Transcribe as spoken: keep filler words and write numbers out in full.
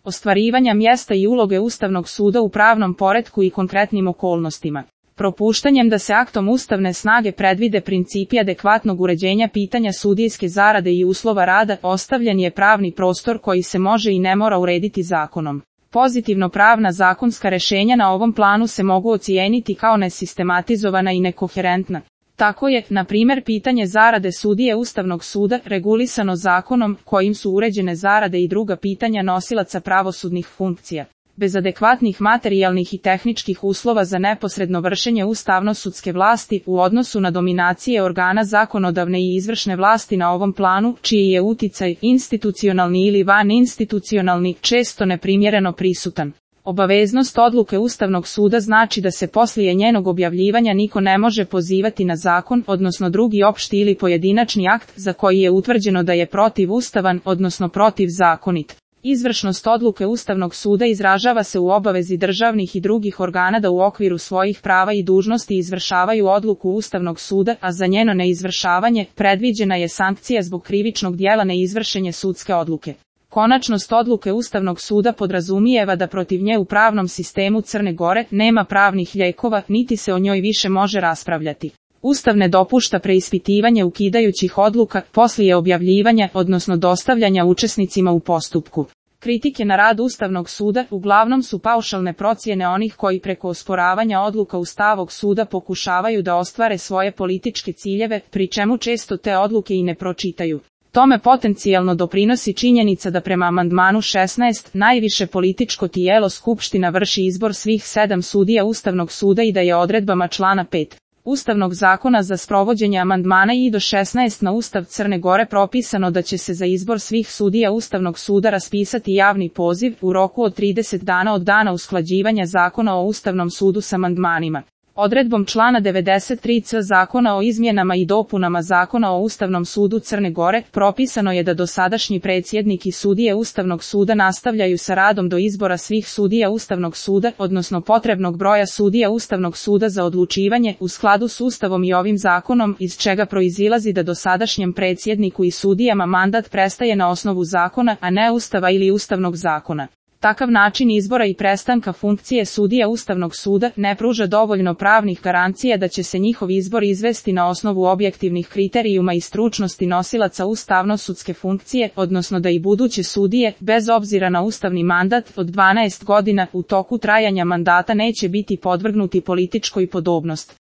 ostvarivanja mjesta i uloge Ustavnog suda u pravnom poretku i konkretnim okolnostima. Propuštanjem da se aktom ustavne snage predvide principi adekvatnog uređenja pitanja sudijske zarade i uslova rada, ostavljen je pravni prostor koji se može i ne mora urediti zakonom. Pozitivno pravna zakonska rješenja na ovom planu se mogu ocijeniti kao nesistematizovana i nekoherentna. Tako je, na primjer, pitanje zarade sudije Ustavnog suda regulisano zakonom kojim su uređene zarade i druga pitanja nosilaca pravosudnih funkcija. Bez adekvatnih materijalnih i tehničkih uslova za neposredno vršenje ustavno-sudske vlasti u odnosu na dominacije organa zakonodavne i izvršne vlasti na ovom planu, čiji je uticaj institucionalni ili vaninstitucionalni često neprimjereno prisutan. Obaveznost odluke Ustavnog suda znači da se poslije njenog objavljivanja niko ne može pozivati na zakon, odnosno drugi opšti ili pojedinačni akt za koji je utvrđeno da je protivustavan, odnosno protivzakonit. Izvršnost odluke Ustavnog suda izražava se u obavezi državnih i drugih organa da u okviru svojih prava i dužnosti izvršavaju odluku Ustavnog suda, a za njeno neizvršavanje predviđena je sankcija zbog krivičnog djela neizvršenje sudske odluke. Konačnost odluke Ustavnog suda podrazumijeva da protiv nje u pravnom sistemu Crne Gore nema pravnih lijekova, niti se o njoj više može raspravljati. Ustav ne dopušta preispitivanje ukidajućih odluka poslije objavljivanja, odnosno dostavljanja učesnicima u postupku. Kritike na rad Ustavnog suda uglavnom su paušalne procjene onih koji preko osporavanja odluka Ustavnog suda pokušavaju da ostvare svoje političke ciljeve, pri čemu često te odluke i ne pročitaju. Tome potencijalno doprinosi činjenica da prema amandmanu šesnaest najviše političko tijelo Skupština vrši izbor svih sedam sudija Ustavnog suda i da je odredbama člana pet. Ustavnog zakona za sprovođenje amandmana i do šesnaest na Ustav Crne Gore propisano da će se za izbor svih sudija Ustavnog suda raspisati javni poziv u roku od trideset dana od dana usklađivanja Zakona o Ustavnom sudu s amandmanima. Odredbom člana devedeset tri c Zakona o izmjenama i dopunama Zakona o Ustavnom sudu Crne Gore propisano je da dosadašnji predsjednik i sudije Ustavnog suda nastavljaju sa radom do izbora svih sudija Ustavnog suda, odnosno potrebnog broja sudija Ustavnog suda za odlučivanje u skladu s Ustavom i ovim zakonom, iz čega proizilazi da dosadašnjem predsjedniku i sudijama mandat prestaje na osnovu zakona, a ne Ustava ili Ustavnog zakona. Takav način izbora i prestanka funkcije sudija Ustavnog suda ne pruža dovoljno pravnih garancija da će se njihov izbor izvesti na osnovu objektivnih kriterijuma i stručnosti nosilaca ustavno-sudske funkcije, odnosno da i buduće sudije, bez obzira na ustavni mandat od dvanaest godina, u toku trajanja mandata neće biti podvrgnuti političkoj podobnosti.